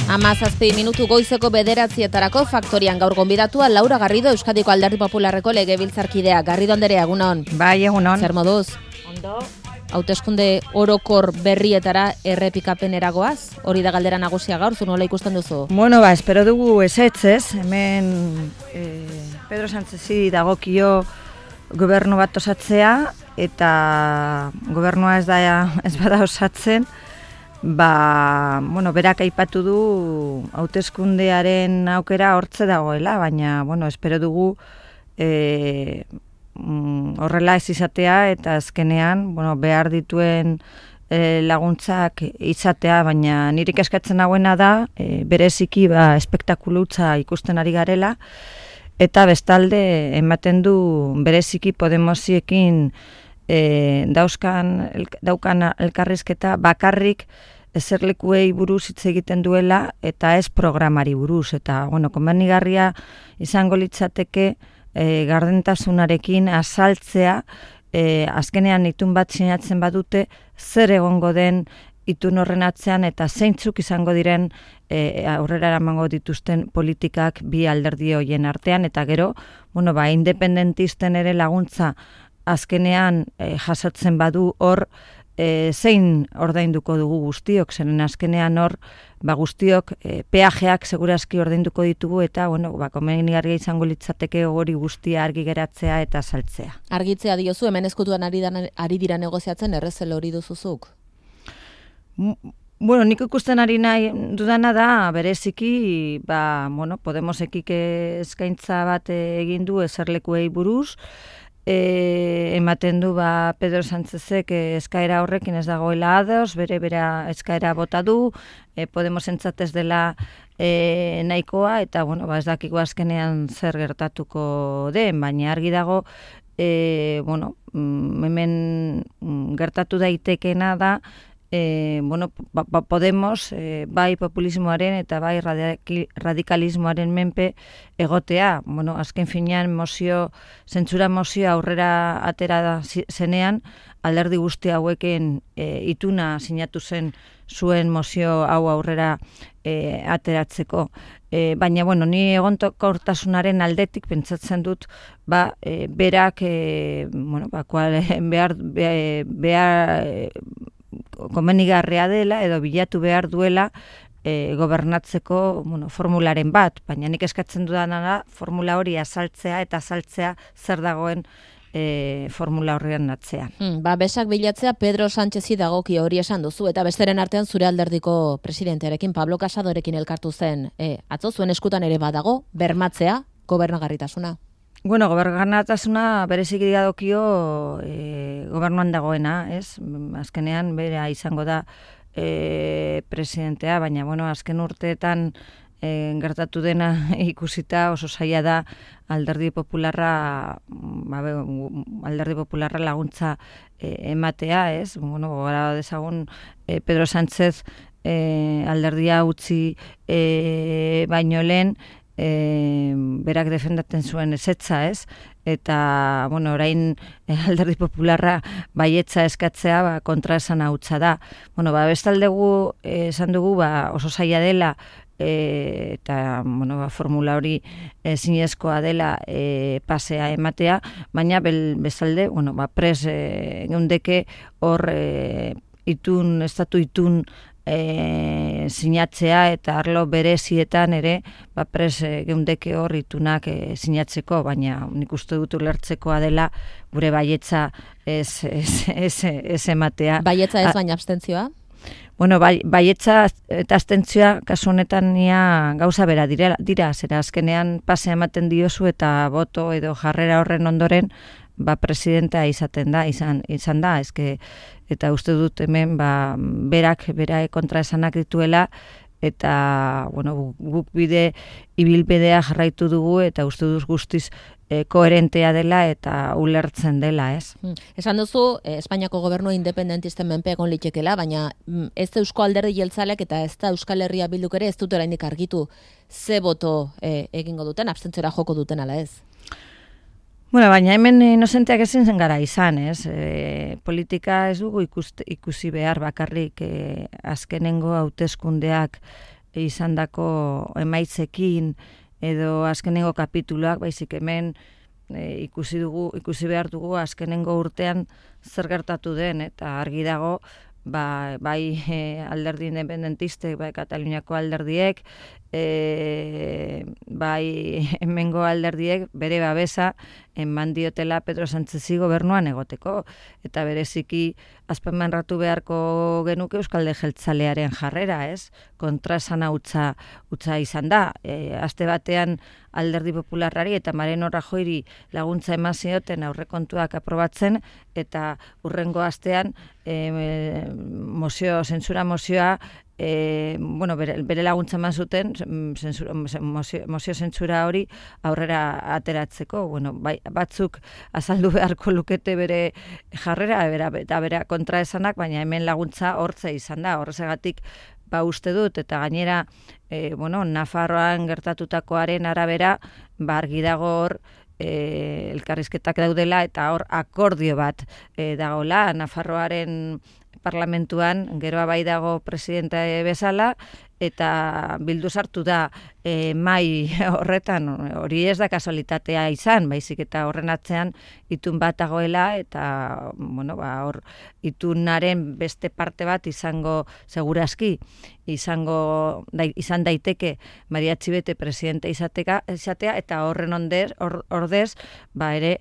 17 minutu goizeko 9:00 faktorian gaur gonbidatua Laura Garrido, Euskadiko Alderdi Popularreko legebiltzarkidea. Garrido anderea, egunon. Bai, egunon. Zer moduz? Ondo. Hauteskunde orokor berrietara errepikapenera goaz? Hori da galdera nagusia gaur, zu nola ikusten duzu? Bueno, espero dugu ezetz, hemen Pedro Sánchezi dagokio gobernu bat osatzea, eta gobernua ez bada osatzen, berak aipatu du hauteskundearen aukera hortze dagoela, baina, espero dugu horrela ez izatea, eta azkenean, behar dituen laguntzak izatea, baina nirik eskatzen nagoena da, bereziki espektakulutza ikusten ari garela, eta bestalde ematen du bereziki Podemosiekin daukan elkarrizketa bakarrik eserlekuei buruz hitz egiten duela eta ez programari buruz. Eta, komenigarria izango litzateke gardentasunarekin azaltzea, azkenean itun bat sinatzen badute, zer egongo den itun horren atzean eta zeintzuk izango diren aurrera eramango dituzten politikak bi alderdi horien artean, eta gero, independentisten ere laguntza azkenean jasotzen badu hor, zein ordainduko dugu guztiok, zeren azkenean hor, guztiok peajeak segurazki ordainduko ditugu, eta, komenigarria izango litzateke hori guztia argi geratzea eta saltzea. Argitzea diozu, hemen eskutuan ari dira negoziatzen, errezel hori duzuzuk? Nik ikusten ari nahi dudana da, bereziki, Podemosekik eskaintza bat egin du eserlekuei buruz, ematen du Pedro Sánchezek eskaera horrekin ez dagoela ados, bere eskaera bota du, Podemosentzat ez dela nahikoa, eta ez dakigu azkenean zer gertatuko den, baina argi dago, hemen gertatu daitekeena da, Podemos bai populismoaren eta bai radikalismoaren menpe egotea. Azken finean zentsura mozio aurrera atera zenean, alderdi guzti hauekin ituna sinatu zuen mozio hau aurrera ateratzeko. Baina, ni egonkortasunaren aldetik pentsatzen dut, berak, behar komenigarria dela edo bilatu behar duela gobernatzeko formularen bat, baina nik eskatzen dudana da formula hori azaltzea eta azaltzea zer dagoen formula horrean atzean. Besak bilatzea Pedro Sánchezi dagoki hori esan duzu, eta besteren artean zure alderdiko presidentearekin, Pablo Casadorekin elkartu zen. Atzo zuen eskutan ere badago, bermatzea gobernagarritasuna. Gobernatasuna bereziki dagokio gobernuan dagoena, ez? Azkenean bera izango da presidentea, baina azken urteetan gertatu dena ikusita oso zaila da alderdi popularra laguntza ematea, ez? Gogora dezagun Pedro Sánchez alderdia utzi baino lehen, berak defendatzen zuen ezetza, ez? Eta, orain alderdi popularra baietza eskatzea kontraesan hautsa da. Bestaldegu esan dugu oso zaila dela, eta, formula hori zinezkoa dela pasea ematea, baina bestalde, pres geundeke hor estatu itun sinatzea, eta arlo berezietan ere pres geundeke hor itunak sinatzeko, baina nik uste dut ulertzekoa dela gure baietza ez ematea. Baietza ez baina abstentzioa? Baietza eta abstentzioa kasu honetan gauza bera dira, zera azkenean pasea ematen diozu eta boto edo jarrera horren ondoren presidenta izan da, eta uste dut hemen berak kontraesanak dituela, eta guk ibilbidea jarraitu dugu, eta uste dut guztiz koherentea dela eta ulertzen dela, ez? Esan duzu, Espainiako gobernua independentisten menpe egon litekela, baina ez da Eusko Alderdi Jeltzaleak eta ez da Euskal Herria Bilduk ere ez dut oraindik argitu ze boto egingo duten, abstentziora joko duten ala ez? Baina hemen inozenteak ezin zen gara izan, ez? Politika ez dugu ikusi behar bakarrik azkenengo hauteskundeak izandako emaitzekin edo azkenengo kapituluak, baizik hemen ikusi behar dugu azkenengo urtean zer gertatu den, eta argi dago bai alderdi independentistek, bai Kataluniako alderdiek, bai hemengo alderdiek bere babesa eman diotela Pedro Sánchezi gobernuan egoteko, eta bereziki azpimarratu beharko genuke Euzkalde Jeltzalearen jarrera, ez? Kontraesana hutsa izan da. Aste batean Alderdi Popularrari eta Mariano Rajoyri laguntza eman zioten aurrekontuak aprobatzen, eta hurrengo astean zentsura mozioa bere laguntza eman zuten mozio zentsura hori aurrera ateratzeko. Batzuk azaldu beharko lukete bere jarrera eta bere kontraesanak, baina hemen laguntza hortze izan da. Horregatik uste dut, eta gainera Nafarroan gertatutakoaren arabera argi dago hor elkarrizketak daudela, eta hor akordio bat dagoela Nafarroaren parlamentuan, geroa bai dago presidente bezala, eta Bildu sartu da mai horretan. Hori ez da kasualitatea izan, baizik eta horren atzean itun bat dagoela, eta hor itunaren beste parte bat izango segurazki izan daiteke Maria Txibete presidente izatea, eta horren ordez ere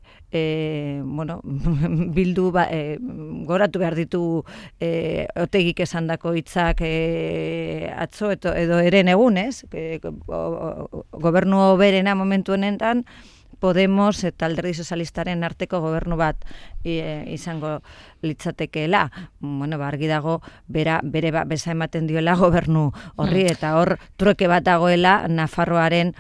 Bildu goratu behar ditu Otegik esandako hitzak atzo edo eren egunez, gobernu hoberena momentu honetan Podemos eta Alderdi Sozialistaren arteko gobernu bat izango litzatekeela. Argi dago bere beza ematen diola gobernu horri, eta hor truke bat dagoela Nafarroaren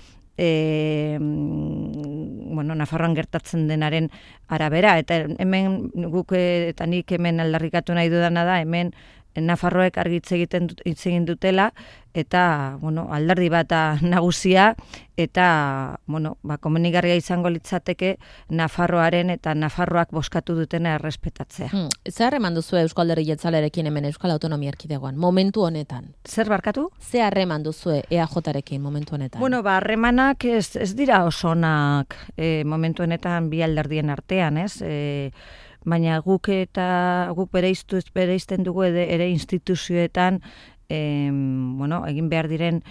Nafarroan gertatzen denaren arabera. Eta hemen guk eta nik hemen aldarrikatu nahi dudana da, hemen Nafarroek argi hitz egin dutela, eta alderdi bat nagusia, eta komenigarria izango litzateke Nafarroaren eta Nafarroak bozkatu dutena errespetatzea. Zer harreman duzu Eusko Alderdi Jeltzalearekin hemen Euskal Autonomia Erkidegoan, momentu honetan? Zer barkatu? Zer harreman duzu EAJarekin momentu honetan? Harremanak ez dira oso onak momentu honetan bi alderdien artean, ez? Baina guk bereizten dugu ere instituzioetan egin behar diren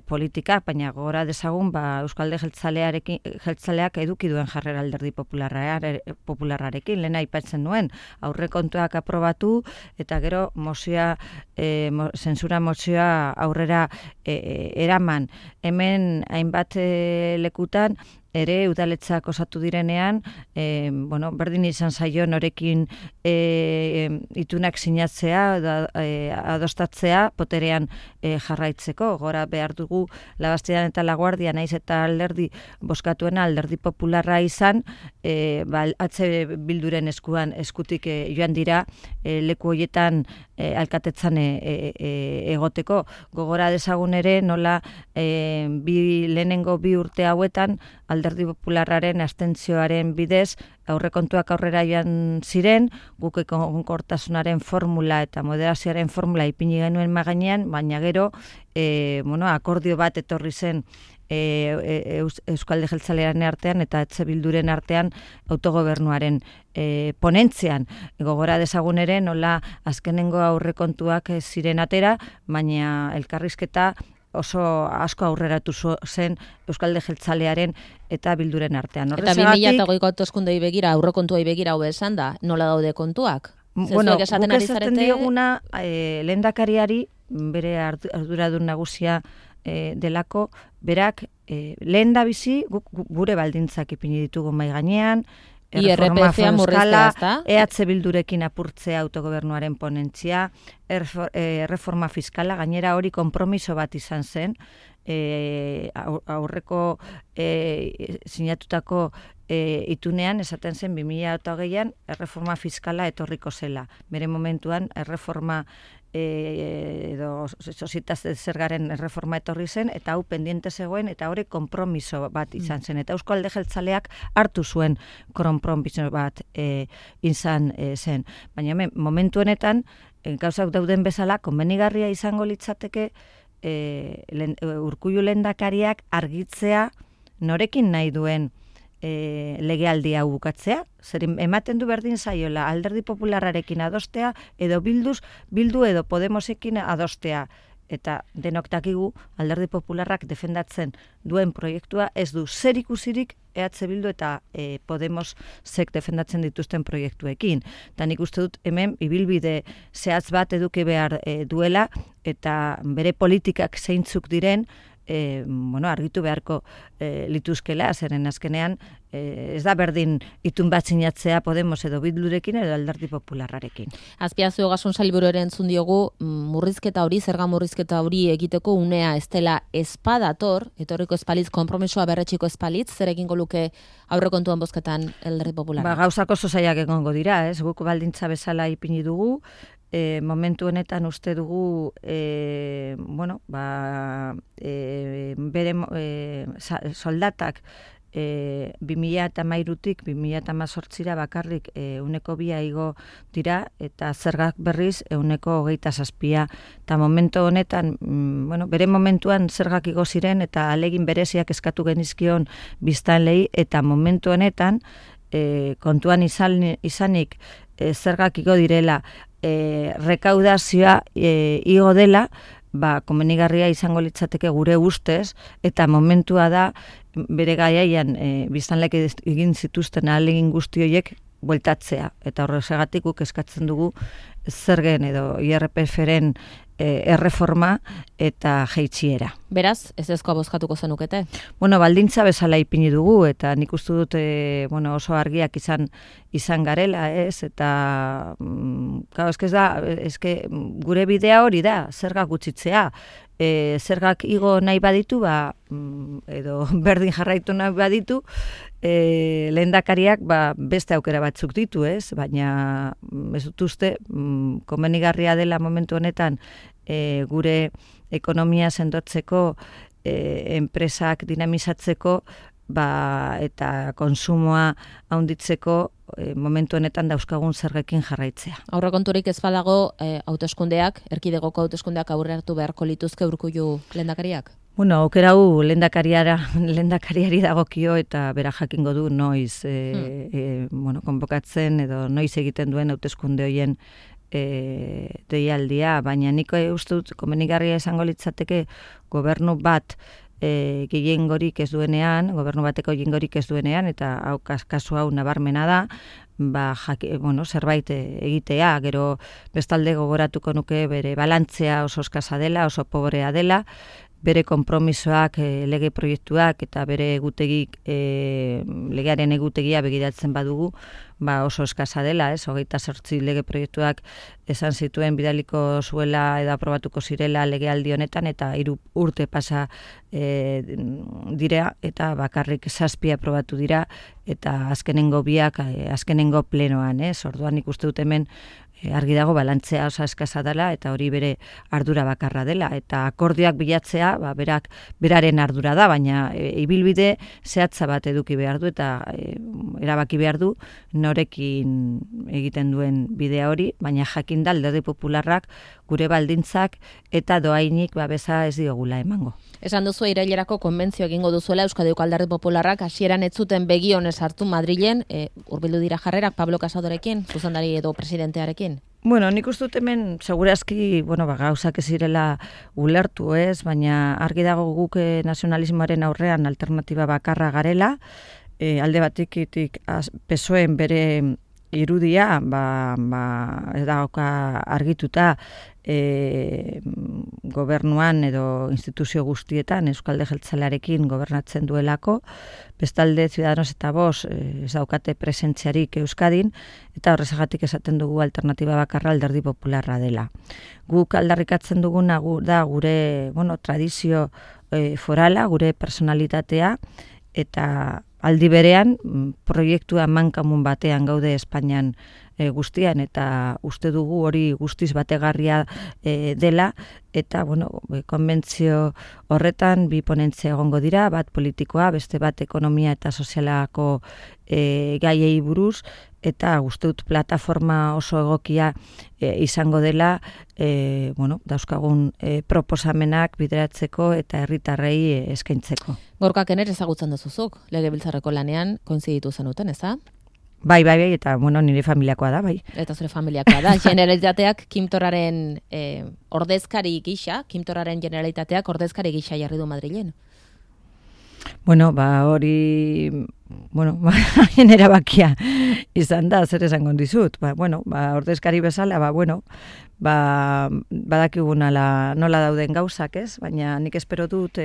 politikak, baina gogora dezagun Euskalde Jeltzaleak eduki duen jarrera Alderdi Popularrarekin, lehen aipatzen nuen, aurrekontuak aprobatu, eta gero zentsura mozioa aurrera eraman. Hemen hainbat lekutan ere udaletzak osatu direnean, berdin izan zaio norekin itunak sinatzea, adostatzea, poterean jarraitzeko. Gora behar dugu Labastidan eta Laguardia, naiz eta alderdi bozkatuena Alderdi Popularra izan, atze Bilduren eskutik joan dira leku horietan alkatetzan egoteko. Gogora dezagun ere nola lehenengo bi urte hauetan Alderdi Popularraren abstentzioaren bidez aurrekontuak aurrera joan ziren, guk egonkortasunaren formula eta moderazioaren formula ipini genuen magainean, baina gero akordio bat etorri zen Euskalde Jeltzalearen artean eta Etxe Bilduren artean autogobernuaren ponentzian. Gogora dezagun ere nola azkenengo aurrekontuak ziren atera, baina elkarrizketa oso asko aurreratu zen Euskalde Jeltzalearen eta Bilduren artean. Eta 2008ko hauteskundei begira, aurrekontuei begira hau esan da, nola daude kontuak? Guk esaten dioguna lehendakariari, bere arduradun nagusia delako, berak lehen da bizi gure baldintzak ipini ditugu mahai gainean, IRPF-a murriztea, EH Bildurekin apurtzea autogobernuaren ponentzia, erreforma fiskala, gainera hori konpromiso bat izan zen, aurreko sinatutako itunean esaten zen 2008an erreforma fiskala etorriko zela. Bere momentuan erreforma edo sozietas zergaren erreforma etorri zen, eta hau pendiente zegoen, eta hori konpromiso bat izan zen. Eta Eusko Alde Jeltzaleak hartu zuen konpromiso bat izan zen. Baina momentu honetan, gauzak dauden bezala, konbenigarria izango litzateke Urkullu lehendakariak argitzea norekin nahi duen legealdia bukatzea, zer ematen du berdin zaiola Alderdi Popularrarekin adostea edo bildu edo Podemosekin adostea, eta denok dakigu Alderdi Popularrak defendatzen duen proiektua ez du zer ikusirik EH Bildu eta Podemosek defendatzen dituzten proiektuekin. Eta nik uste dut hemen ibilbide zehatz bat eduki behar duela eta bere politikak zeintzuk diren argitu beharko lituzkela, zeren azkenean ez da berdin itun bat sinatzea Podemos edo Bildurekin edo Alderdi Popularrarekin. Azpiazu Ogasun Sailburuaren entzun diogu zerga murrizketa hori egiteko unea ez dela espadator, etorriko espalitz, konpromisoa berretxiko espalitz, zer egingo luke aurrekontuen bozketan Alderdi Popularra? Gauzak oso zailak egongo dira, ez? Guk baldintza bezala ipini dugu, momentu honetan uste dugu bere soldatak 2013-tik 2018ra bakarrik 2% igo dira eta zergak berriz 27%. Eta momentu honetan, bere momentuan zergak igo ziren eta alegin bereziak eskatu genizkion biztanleei eta momentu honetan kontuan izanik zergak igo direla, rekaudazioa igo dela, komenigarria izango litzateke gure ustez, eta momentua da bere gaiaian biztanleek egin zituzten ahalegin guzti horiek bueltatzea. Eta horregatik guk eskatzen dugu zergen edo IRPF-ren erreforma eta jaitsiera. Beraz, ez ezkoa bozkatuko zenukete? Baldintza bezala ipini dugu, eta nik uste dut oso argiak izan garela, ez? Eta, gure bidea hori da, zergak gutxitzea. Zergak igo nahi baditu, edo berdin jarraitu nahi baditu, lehendakariak beste aukera batzuk ditu, ez? Baina ez dut uste, komenigarria dela momentu honetan gure ekonomia sendotzeko, enpresak dinamizatzeko, eta konsumoa handitzeko momentu honetan dauzkagun zergekin jarraitzea. Aurrekonturik ez badago hauteskundeak, erkidegoko hauteskundeak aurre hartu beharko lituzke Urkullu lehendakariak? Aukera hau lehendakariari dagokio eta bera jakingo du noiz konbokatzen edo noiz egiten duen hauteskunde horien deialdia, baina nik uste dut komenigarria izango litzateke gobernu bat gehiengorik ez duenean, gobernu bateko gehiengorik ez duenean, eta kasu hau nabarmena da, zerbait egitea, gero bestalde gogoratuko nuke bere balantzea oso eskasa dela, oso pobrea dela, bere konpromisoak, lege proiektuak eta bere egutegik, legearen egutegia begiratzen badugu, oso eskasa dela, ez? 28 lege proiektuak esan zituen bidaliko zuela edo aprobatuko zirela legealdi honetan, eta 3 urte pasa dira, eta bakarrik 7 aprobatu dira, eta azkenengo biak, azkenengo plenoan, ez? Orduan ikuste dut hemen argi dago balantzea oso eskasa dela, eta hori bere ardura bakarra dela, eta akordioak bilatzea, beraren ardura da, baina ibilbide zehatza bat eduki behar du, eta erabaki behar du norekin egiten duen bidea hori, baina jakin da Alderdi Popularrak gure baldintzak eta doainik babesa ez diogula emango. Esan duzu irailerako konbentzio egingo duzuela Euskadiko Alderdi Popularrak hasieran ez zuten begi onez hartu Madrilen, hurbildu dira jarrerak Pablo Casadorekin, zuzendari edo presidentearekin? Nik uste dut hemen segurazki, gauzak ez direla ulertu, ez, baina argi dago guk nazionalismoaren aurrean alternatiba bakarra garela, alde batetik PSOEen bere irudia, ez dauka argituta gobernuan edo instituzio guztietan Euzkalde Jeltzalearekin gobernatzen duelako, bestalde Ciudadanos eta Vox ez daukate presentziarik Euskadin, eta horrezagatik esaten dugu alternatiba bakarra Alderdi Popularra dela. Guk aldarrikatzen duguna da gure tradizio forala, gure personalitatea, eta aldi berean proiektua mankamun batean gaude Espainian guztian, eta uste dugu hori guztiz bategarria dela, eta, konbentzio horretan bi ponentzia egongo dira, bat politikoa, beste bat ekonomia eta sozialako gaiei buruz, eta uste dut plataforma oso egokia izango dela, dauzkagun proposamenak bideratzeko eta herritarrei eskaintzeko. Gorkak ere ezagutzen duzuzuk, legebiltzarreko lanean koinziditu zenuten, ez da? Bai, eta nire familiakoa da, bai. Eta zure familiakoa da. Generalitateak Kim Torraren ordezkari gisa, Kim Torraren generalitateak ordezkari gisa jarri du Madrilen. Hori, haien erabakia izan da, zer esango dizut. Ordezkari bezala, badakigu nola dauden gauzak, ez? Baina nik espero dut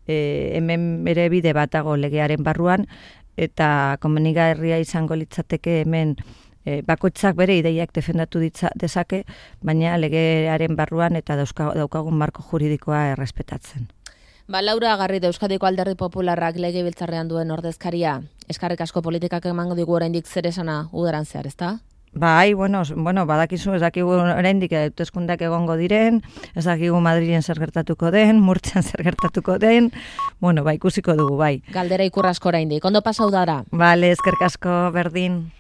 hemen ere bide batago legearen barruan, eta komenigarria izango litzateke hemen bakoitzak bere ideiak defendatu dezake, baina legearen barruan eta daukagun marko juridikoa errespetatzen. Laura Garrido, Euskadiko Alderdi Popularrak legebiltzarrean duen ordezkaria, eskarrik asko politikak emango digu oraindik zer esana udaran zehar, ezta? Bai, badakizu, ez dakigu oraindik hauteskundeak egongo diren, ez dakigu Madrilen zer gertatuko den, Murtzian zer gertatuko den, ikusiko dugu, bai. Galdera ikur asko oraindik, ondo pasa udara. Bale, eskerrik asko, berdin.